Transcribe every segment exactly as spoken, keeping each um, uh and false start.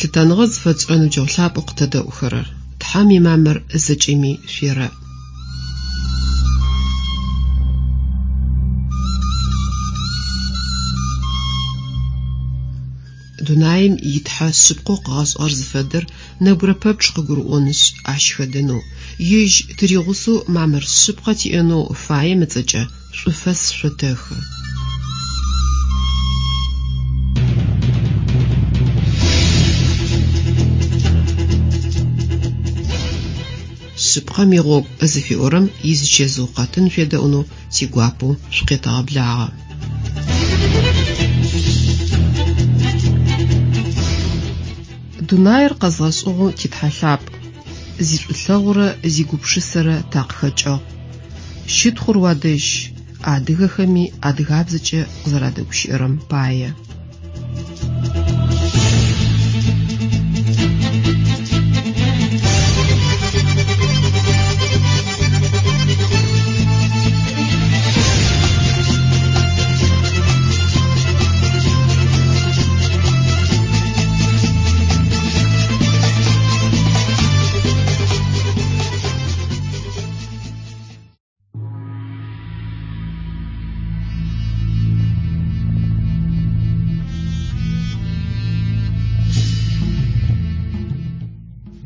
Лъытэныгъэ зыфэтшӏырэ ныбджэгъу лъапӏэу къытэдэӏухэрэр, Тхьэм имамыр зэкӏэми шъуерэӏ. Дунаим итхьэ шъыпкъэу къыгъэшӏыгъэр зыфэдэр нэбгырэ пэпчъ къыгурыӏонышъ, ащ хэдэнэу, ежь тыригъусэу мамыр шъыпкъэ тиӏэнэу фаем ыцӏэкӏэ шӏуфэс шъотэхы. Шъыпкъэм игъогу зыфиӏорэм изычэзыу къэтын шъуедэӏунэу тигуапэу шъукъетэгъэблагъэ. Дунаир къэзгъэшӏыгъэу титхьэ лъапӏ, зишӏулъэгъурэ зигупшысэрэ такъыхэкӏыгъ. Щытхъур уадэжь, адыгэхэми адыгабзэкӏэ къызэрадэгущыӏэрэм пае.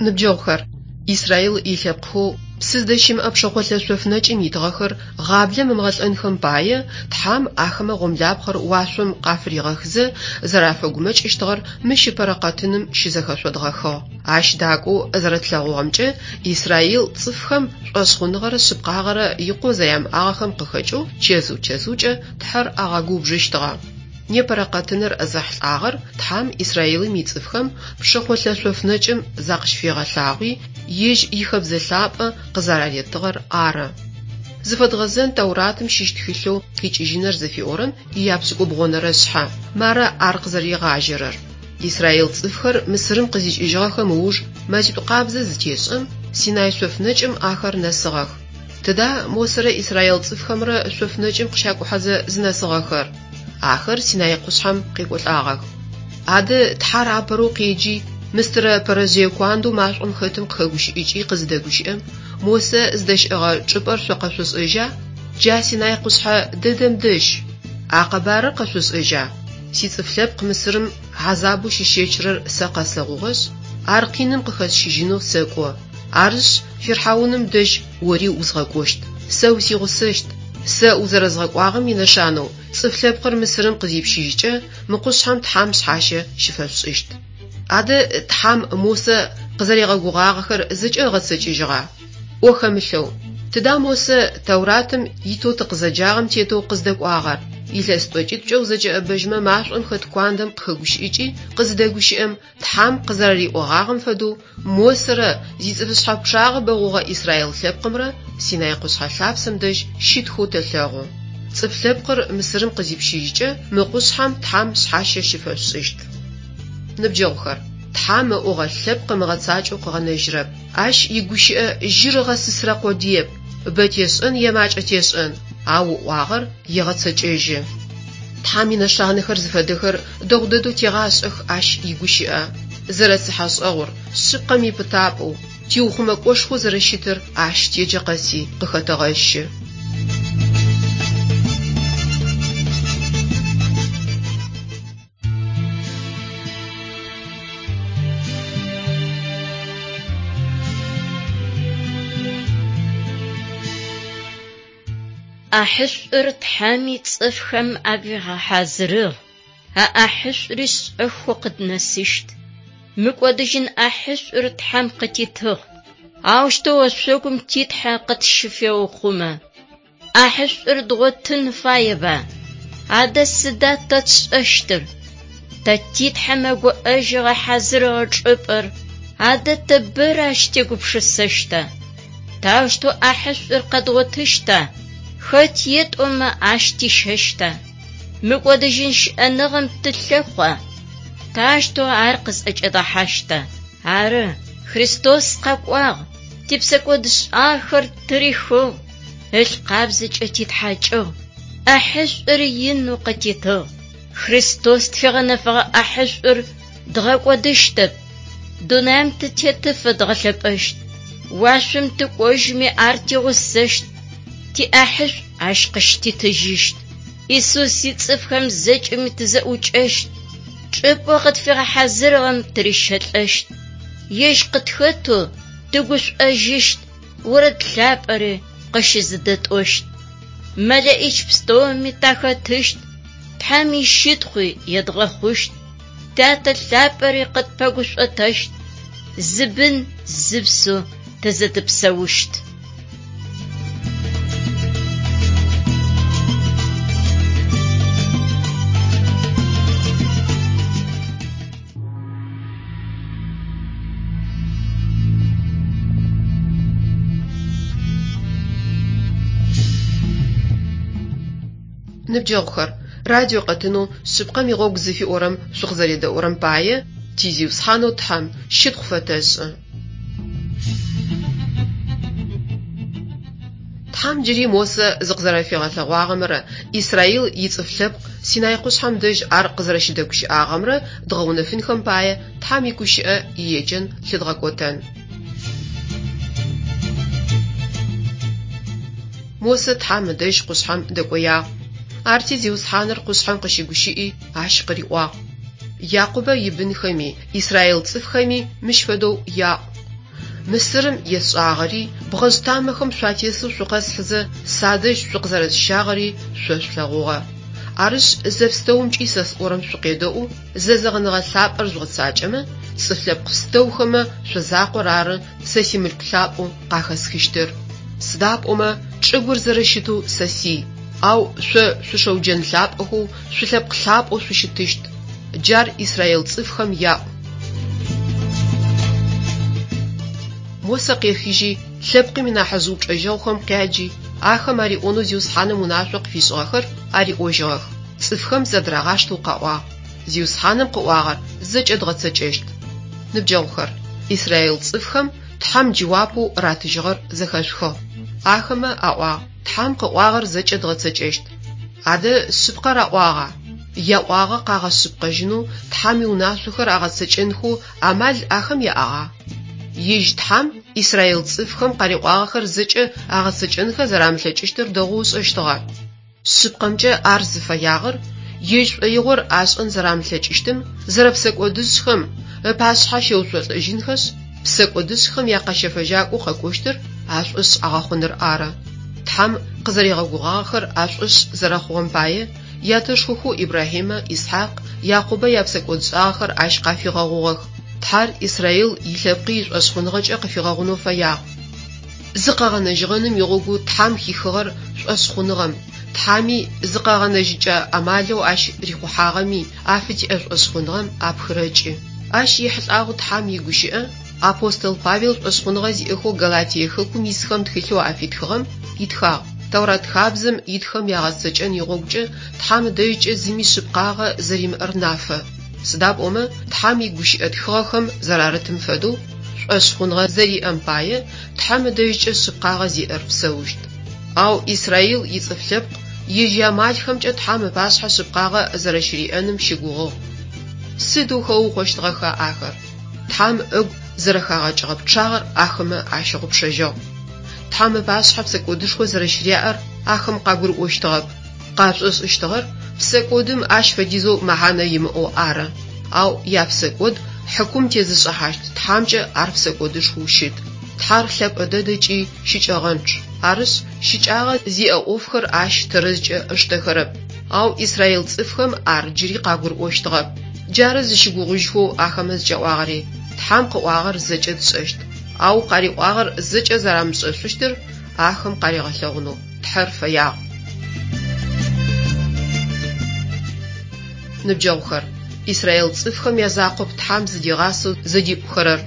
Ныбджэгъухэр, Израил илъэпкъхэу псы зыдэщымыӏэ пшэхъолъэ шъоф нэкӏым итыгъэхэр гъаблэм ымыгъэлӏэнхэм пае Тхьэм ахэмэ гъомлапхъэр уашъом къафыригъэхызэ зэрафэгумэкӏыщтыгъэр мыщ ыпэрэ къэтыным щызэхэшъодгъэхыгъ. Ащ дакӏоу зэрэтлъэгъугъэмкӏэ, Израил цӏыфхэм шӏошъхъуныгъэрэ шъыпкъагъэрэ икъоу зэрямыӏагъэхэм къыхэкӏэу чэзыу-чэзыукӏэ Тхьэр агъэгубжыщтыгъэ. Непэрэ къэтыныр зэхьылӏагъэр Тхьэм Израилым ицӏыфхэм пшэхъолъэ шъоф нэкӏым закъыщыфигъэлъагъуи, ежь ихэбзэ лъапӏэ къызэраритыгъэр ары. Зыфэдгъэзэн Тауратым щыщ тхылъэу «Къикӏыжьыныр» зыфиӏорэм ияпшӏыкӏубгъонэрэ шъхьэ. Мары ар къызэригъажьэрэр. Израил цӏыфхэр Мысырым къызикӏыжьыгъэхэм ыуж мэзитӏу къабзэ зытешӏэм, Синай шъоф нэкӏым ахэр нэсыгъэх. Тыда Мосэрэ Израил цӏыфхэмрэ шъоф нэкӏым къыщакӏухьэзэ зынэсыгъэхэр? Ахэр Синай къушъхьэм къекӏолӏагъэх. Адэ Тхьэр апэрэу къеджи, мыстырэ пэрэжъые куандэу машӏом хэтым къыхэгущыӏыкӏи къызыдэгущыӏэм, Мосэ зыдэщыӏэгъэ чӏыпӏэр шъо къэшъошӏэжьа? Джа Синай къушъхьэ дэдэм дэжь. А къэбарыр къэшъошӏэжьа? Сицӏыф лъэпкъ Мысырым хьазабэу щищэчырэр сэ къэслъэгъугъэшъ, ар къиным къыхэсщыжьынэу сэкӏо. Арышъ, Фирхьауным дэжь ори узгъэкӏощт. Сэ усигъусэщт. Сэ узэрэзгъэкӏуагъэм инэшанэу цӏыф лъэпкъыр Мысырым къызипщыжькӏэ, мы къушъхьэм Тхьэм шъхьащэ щыфэшъушӏыщт. Адэ Тхьэм Мосэ къызэригъэгугъагъэхэр зэкӏэ ыгъэцэкӏэжьыгъа? Ӏо хэмылъэу. Тыда Мосэ Тауратым итэу тыкъызэджагъэм тетэу къыздэкӏуагъэр? Илъэс тӏокӏитӏукӏэ узэкӏэӏэбэжьмэ машӏом хэт куандэм къыхэгущыӏыкӏи къызыдэгущыӏэм, Тхьэм къызэрэриӏогъагъэм фэдэу Мосэрэ зицӏыфышъхьэ пчъагъэ бэгъугъэ Израил лъэпкъымрэ Синай къушъхьэ лъапсэм дэжь щытхэу тэлъэгъу. Цӏыф лъэпкъыр Мысырым къызипщыжькӏэ, мы къушъхьэм Тхьэм шъхьащэ щыфэшъушӏыщт. Ныбджэгъухэр, Тхьэм ыӏогъэ лъэпкъ ымыгъэцакӏэу къыгъэнэжьырэп. Ащ игущыӏэ жьыр ыгъэсысырэ къодыеп, бэ тешӏэн е макӏэ тешӏэн, ау ыӏуагъэр егъэцэкӏэжьы. Тхьэм инэшанэхэр зыфэдэхэр дэгъу дэдэу тегъашӏэх ащ игущыӏэ. Зэрэцыхьэшӏэгъур, шъыпкъэм ипытапӏэу, тиухъумэкӏошхоу зэрэщытыр ащ теджэ къэси къыхэтэгъэщы. Ӏахьышӏур Тхьэми цӏыфхэм афигъэхьазырыгъ. А ӏахьышӏури шӏэхэу къыднэсыщт. Мыкӏодыжьын ӏахьышӏур Тхьэм къытитыгъ. Аущтэу ошъогум титхьэ къытщыфеухъумэ. Ӏахьышӏур дгъотын фаеба? Адэ сыда тэ тшӏэщтыр? Тэ титхьэмэ гуӏэжьыгъэ хьазырыгъэ чӏыпӏэр, адэ тэ бэрэ ащ тегупшысэщта? Таущтэу ӏахьышӏур къэдгъотыщта? Хэт етӏомэ ащ тищэщта? Мыкӏодыжьын щыӏэныгъэм тылъэхъуа? Таущтэу ар къызӏэкӏэдгъэхьащта? Ары, Христос къэкӏуагъ, типсэкӏодшӏахэр тырихыгъ, ылъ къабзэкӏэ титхьакӏыгъ, ӏахьышӏур инэу къытитыгъ. Христос тфигъэнэфэгъэ ӏахьышӏур дгъэкӏодыщтэп. Дунаим тытетыфэ дгъэлъэпӏэщт, уашъом тыкӏожьми ар тигъусэщт, тиӏахьышӏу ащ къыщытитыжьыщт. Исус ицӏыфхэм зэкӏэми тызэӏукӏэщт, чӏыпӏэу къытфигъэхьазырыгъэм тырищэлӏэщт. Ежь къытхэтэу тыгушӏожьыщт, орэд лъапӏэри къыщызэдэтӏощт. Мэлэӏич пстэуми тахэтыщт, Тхьэм ищытхъуи едгъэхъущт, Тятэ лъапӏэри къытпэгушӏотэщт, зы бын зы псэу тызэдэпсэущт. Ныбджэгъухэр, радио къэтынэу «Шъыпкъэм игъогу» зыфиӏорэм шъукъызэредэӏурэм пае ти Зиусхьанэу Тхьэм щытхъу фэтэшӏы. Тхьэм джыри Мосэ зыкъызэрэфигъэлъэгъуагъэмрэ Израил ицӏыф лъэпкъ Синай къушъхьэм дэжь ар къызэрэщыдэгущыӏагъэмрэ дгъэунэфынхэм пае Тхьэм игущыӏэ иеджэн лъыдгъэкӏотэн. Мосэ Тхьэм ыдэжь къушъхьэм дэкӏоягъ. Арти Зиусхьаныр къушъхьэм къыщыгущыӏи, ащ къыриӏуагъ: Якъубэ ибынхэми, Израил цӏыфхэми мыщ фэдэу яӏу: Мысырым есшӏагъэри, бгъэжъ тамэхэм шъуатесэу шъукъэсхьызэ садэжь шъукъызэрэсщагъэри шъо шъулъэгъугъэ. Арышъ, зэпстэумкӏи сэ сӏорэм шъукъедэӏу, зэзэгъыныгъэ лъапӏэр жъугъэцакӏэмэ, цӏыф лъэпкъ пстэухэмэ шъо закъор ары сэ симылъку лъапӏэу къахэсхыщтыр. Сыда пӏомэ чӏыгур зэрэщытэу сэ сий, ау шъо шъушэуджэн лъапӏэхэу, шъулъэпкъ лъапӏэу шъущытыщт. Джар Израил цӏыфхэм яӏу. Мосэ къехыжьи, лъэпкъым инахьыжъ упчӏэжьэгъухэм къяджи, ахэм ариӏонэу Зиусхьаным унашъо къыфишӏыгъэхэр ариӏожьыгъэх. Цӏыфхэм зэдырагъаштэу къаӏуагъ: Зиусхьаным къыӏуагъэр зэкӏэ дгъэцэкӏэщт. Ныбджэгъухэр, Израил цӏыфхэм Тхьэм джэуапэу ратыжьыгъэр зэхэшъухыгъ. Ахэмэ аӏуагъ: Тхьэм къыӏуагъэр зэкӏэ дгъэцэкӏэщт. Адэ шъыпкъэр аӏуагъа? Яӏуагъэ къагъэшъыпкъэжьынэу Тхьэм иунашъохэр агъэцэкӏэнхэу амал ахэм яӏагъа? Ежь Тхьэм Израил цӏыфхэм къариӏуагъэхэр зэкӏэ агъэцэкӏэнхэ зэрамылъэкӏыщтыр дэгъоу ышӏэщтыгъэ. Шъыпкъэмкӏэ ар зыфэягъэр ежь шӏоигъор ашӏэн зэрамылъэкӏыщтым, зэрэпсэкӏодышӏхэм ыпашъхьэ щеуцолӏэжьынхэшъ, псэкӏодышӏхэм якъэщэфэжьакӏоу къэкӏощтыр ашӏошъ агъэхъуныр ары. Тхьэм къызэригъэгугъагъэхэр ашӏошъ зэрэхъугъэм пае ятэшхохэу Ибрахьимэ, Исхьакъ, Якъубэ япсэкӏодшӏагъэхэр ащ къафигъэгъугъэх. Тхьэр Израил илъэпкъи ишӏошъхъуныгъэкӏэ къыфигъэгъунэу фэягъ. Зыкъэгъэнэжьыгъэным игъогу Тхьэм хихыгъэр шӏошъхъуныгъэм, Тхьэми зыкъэгъэнэжьыкӏэ амалэу ащ рихъухьагъэми афытиӏэ шӏошъхъуныгъэм апхырэкӏы. Ащ ехьылӏагъэу Тхьэм игущыӏэ апостол Павел шӏошъхъуныгъэ зиӏэхэу Галатие хэкум исхэм тхылъэу афитхыгъэм итхагъ: Тэурат хабзэм итхэм ягъэцэкӏэн игъогукӏэ Тхьэм ыдэжькӏэ зыми шъыпкъагъэ зэримыӏэр нафэ. Сыда пӏомэ Тхьэм игущыӏэ тхыгъэхэм зэрарытым фэдэу шӏошъхъуныгъэ зэриӏэм пае Тхьэм ыдэжькӏэ шъыпкъагъэ зиӏэр псэущт. Ау Израил ицӏыф лъэпкъ ежь иамалхэмкӏэ Тхьэм ыпашъхьэ шъыпкъагъэ зэрэщыриӏэным щыгугъыгъ. Сыдэу хэукъощтыгъэха ахэр? Тхьэм ыгу зэрэхагъэкӏыгъэ пчъагъэр ахэмэ ащыгъупшэжьыгъ. Тхьэм ыпашъхьэ псэкӏодышхо зэрэщыряӏэр ахэм къагурыӏощтыгъэп. Къашӏошӏыщтыгъэр псэкӏодым ащ фэдизэу мэхьанэ имыӏэу ары. Ау япсэкӏод хьыкум тезышӏыхьащт Тхьэмкӏэ ар псэкӏодышхоу щыт. Тхьэр лъэпӏэ дэдэкӏи щыкӏэгъэнчъ. Арышъ, щыкӏагъэ зиӏэ ӏофхэр ащ тэрэзкӏэ ыштэхэрэп. Ау Израил цӏыфхэм ар джыри къагурыӏощтыгъэп. Джары зыщыгугъыжьхэу ахэмэ зыкӏаӏуагъэри: Тхьэм къыӏуагъэр зэкӏэ тшӏэщт. Ау къариӏуагъэр зэкӏэ зэрамышӏэшъущтыр ахэм къаригъэлъэгъунэу Тхьэр фэягъ. Ныбджэгъухэр, Израил цӏыфхэм язакъоп Тхьэм зыдигъасэу зыдипӏухэрэр.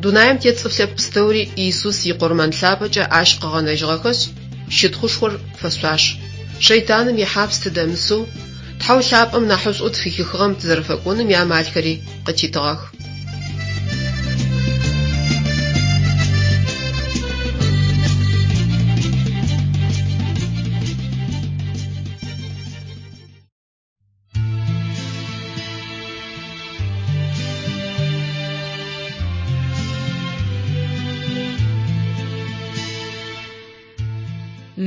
Дунаим тет цӏыф лъэпкъ пстэури Иисус икъурмэн лъапӏэкӏэ ащ къыгъэнэжьыгъэхэшъ, щытхъушхор фэшъуаш. Шэйтаным ихьапс тыдэмысэу, Тхьэу лъапӏэм нахьышӏоу тфыхихыгъэм тызэрэфэкӏоным иамалхэри къытитыгъэх.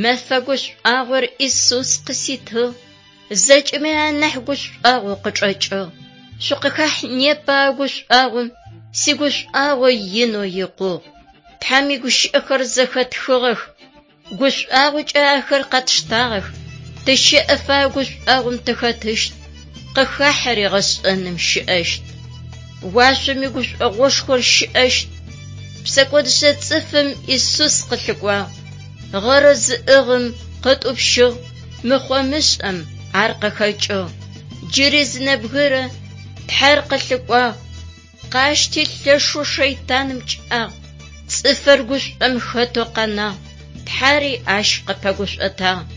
Мэфэ гушӏуагъор Исус къыситыгъ, зэкӏэми анахь гушӏуагъо къычӏэкӏыгъ. Шъукъыхахь непэ а гушӏуагъом, сигушӏуагъо инэу икъугъ. Тхьэм игущыӏэхэр зэхэтхыгъэх, гушӏуагъокӏэ ахэр къэтштагъэх. Тыщэӏэфэ а гушӏуагъом тыхэтыщт, къыхахьэри гъэшӏэным щыӏэщт. Уашъом игушӏогъошхор щыӏэщт. Псэкӏодышъэ цӏыфым Исус къылъыкӏуагъ. Гъэрэ зыӏыгъым къытӏупщыгъ, мыхъо-мышӏэм ар къыхэкӏыгъ. Джыри зы нэбгырэ Тхьэр къылъыкӏуагъ. Къащти лъэшэу шэйтаным кӏагъ. Цӏыфыр гушӏом хэтэу къэнагъ. Тхьэри ащ къыпэгушӏотагъ.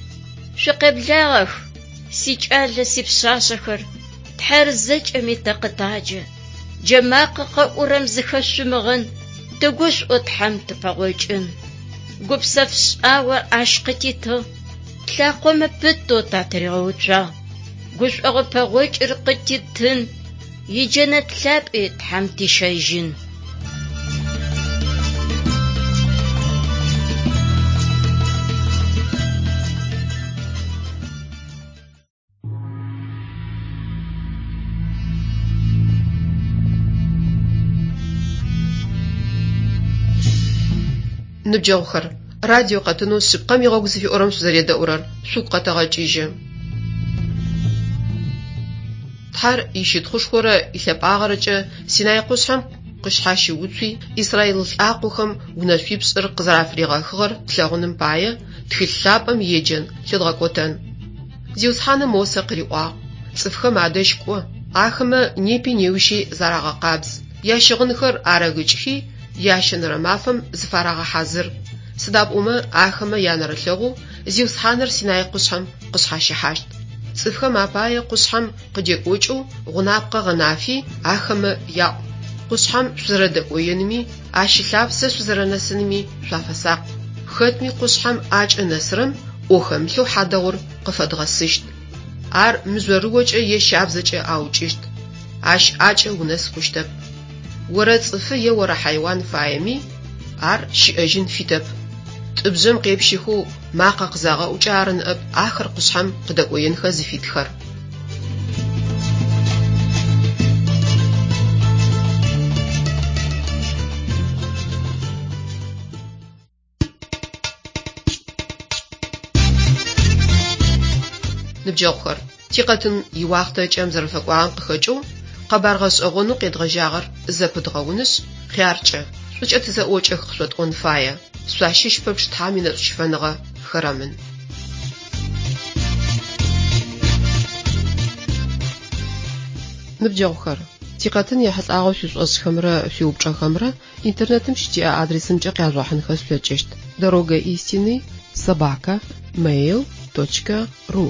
Шъукъеблагъэх, сикӏалэ, сипшъашъэхэр, Тхьэр зэкӏэми тэ къытаджэ. Джэмакъэ къэӏурэм зыхэшъумыгъэн, тыгушӏо Тхьэм тыпэгъокӏын. Гупсэф шӏагъо ащ къытитыгъ, тлъакъомэ пытэу татыригъэуцуагъ. Гушӏогъо пэгъокӏыр къытитын, иджэнэт лъапӏи Тхьэм тищэжьын. Ныбджэгъухэр, радио къэтынэу шъыпкъэм игъогу зыфиӏорэм шъузэредэӏурэр шъугу къэтэгъэкӏыжьы. Тхьэр ищытхъушхорэ илъэпӏагъэрэкӏэ Синай къушъхьэм къышъхьащыуцуи, Израил лӏакъохэм унэшъуипшӏыр къызэрафыригъэхыгъэр тлъэгъуным пае тхылъ лъапӏэм еджэн лъыдгъэкӏотэн. Зиусхьаным Мосэ къыриӏуагъ: «Цӏыфхэм адэжь кӏо, ахэмэ непи неущи зарагъэкъабз, ящыгъынхэр арэгыкӏхи, ящэнэрэ мафэм зыфарагъэхьазыр. Сыда пӏомэ ахэмэ янэрылъэгъоу Зиусхьаныр Синай къушъхьэм къышъхьащыхьащт. Цӏыфхэм апае къушъхьэм къыдекӏокӏэу гъунапкъэ гъэнафи ахэмэ яӏу. Къушъхьэм шъузэрэдэкӏоеными, ащ ылъапсэ шъузэрэнэсыными шъуафэсакъ. Хэтми къушъхьэм ӏакӏэ нэсырэм ӏо хэмылъэу хьадэгъур къыфэдгъэсыщт. Ар мыжъорыокӏэ е щабзэкӏэ аукӏыщт. Ащ ӏакӏэ унэс хъущтэп. Орэ цӏыфы е орэ хьайуан фаеми, ар щыӏэжьын фитэп. Тӏыбжъэм къепщыхэу макъэ къызагъэӏукӏэ ары ныӏэп ахэр къушъхьэм къыдэкӏоенхэ зыфитхэр. Ныбджэгъухэр, тикъэтын иуахътэ кӏэм зэрэфэкӏуагъэм къыхэкӏэу къэбар гъэшӏэгъонэу къедгъэжьагъэр зэпыдгъэунышъ, хъяркӏэ, шӏукӏэ тызэӏокӏэх къышъотӏон фае. Шъуащыщ пэпчъ Тхьэм инэшӏущыфэныгъэ хэрэмын. Ныбджэгъухэр, тикъэтын ехьылӏагъэу шъуишӏошӏхэмрэ шъуиупчӏэхэмрэ интернетым щытиӏэ адресымкӏэ къяжъугъэхьынхэ шъулъэкӏыщт: дорога истины собака mail точка ру.